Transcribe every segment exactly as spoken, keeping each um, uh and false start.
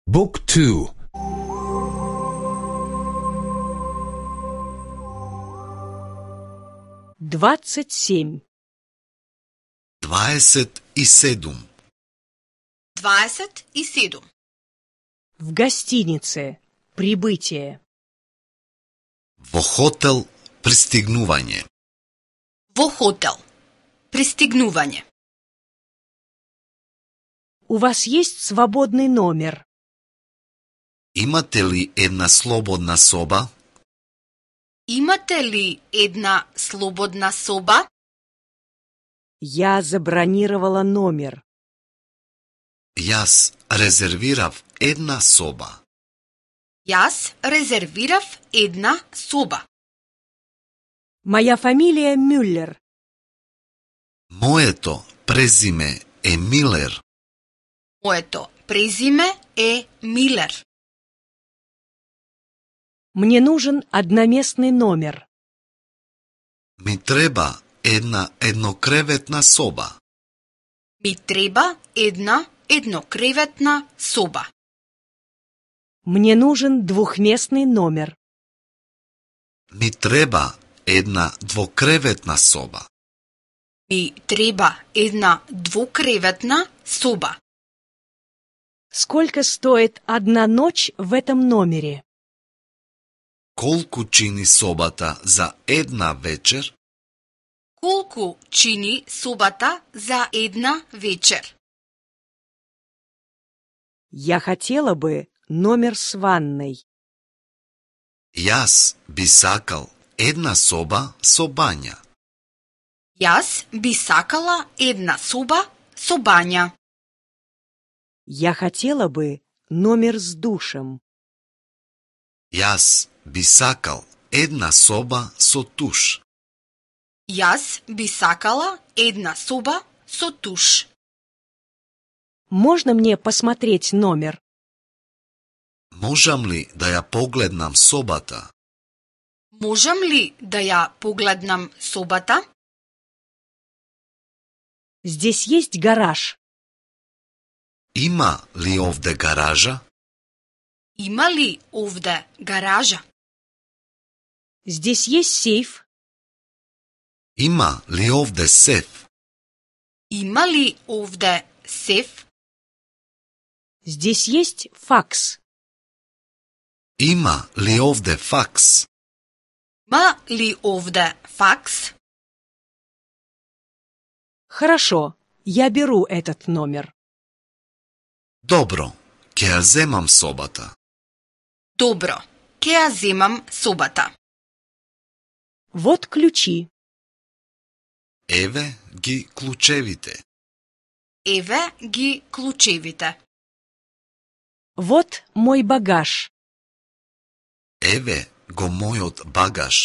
Book two. Двадцать семь. Дваесет и седум. Дваесет и седум. В гостинице. Прибытие. Во хотел пристигнување. Во хотел. Пристигнување. У вас есть свободный номер? Имате ли една слободна соба? Имате ли една слободна соба? Я забронировала номер. Јас резервирав една соба. Јас резервирав една соба. Моя фамилия Мюллер. Моето презиме е Милер. Моето презиме е Милер. Мне нужен одноместный номер. Ми треба една еднокреветна соба. Ми треба една еднокреветна соба. Мне нужен двухместный номер. Ми треба една двокреветна соба. Ми треба една двукреветна соба. Сколько стоит одна ночь в этом номере? Колку чини собата за една вечер? Колку чини собата за една вечер? Я хотела бы номер с ванной. Јас би сакал една соба со бања. Јас би сакала една соба со бања. Я хотела бы номер с душем. Јас би сакал една соба со туш. Јас би сакала една соба со туш. Можно мне посмотреть номер? Можам ли да ја погледнам собата? Можам ли да ја погледнам собата? Здесь есть гараж? Има ли овде гаража? Има ли овде гаража? Здесь есть сейф? Има ли овде сеф? Има ли овде сеф? Здесь есть факс? Има ли овде факс? Има ли овде факс? Хорошо, я беру этот номер. Добро, ќе ја земам собата. Добро, ќе ја земам собата. Вот ключи. Еве ги клучевите. Еве ги клучевите. Вот мой багаж. Еве го мојот багаж.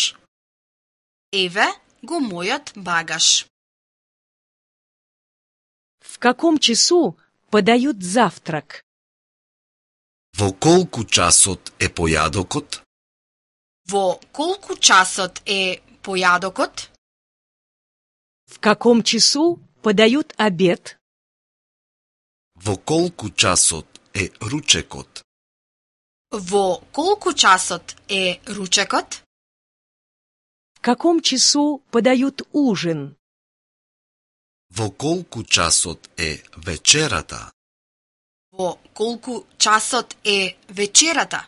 Еве го мојот багаж. В каком часу подают завтрак? Во колку часот е појадокот? Во колку часот е појадокот? В каком часу подают обед? Во колку часот е ручекот? Во колку часот е ручекот? В каком часу подают ужин? Во колку часот е вечерата? Во колку часот е вечерата?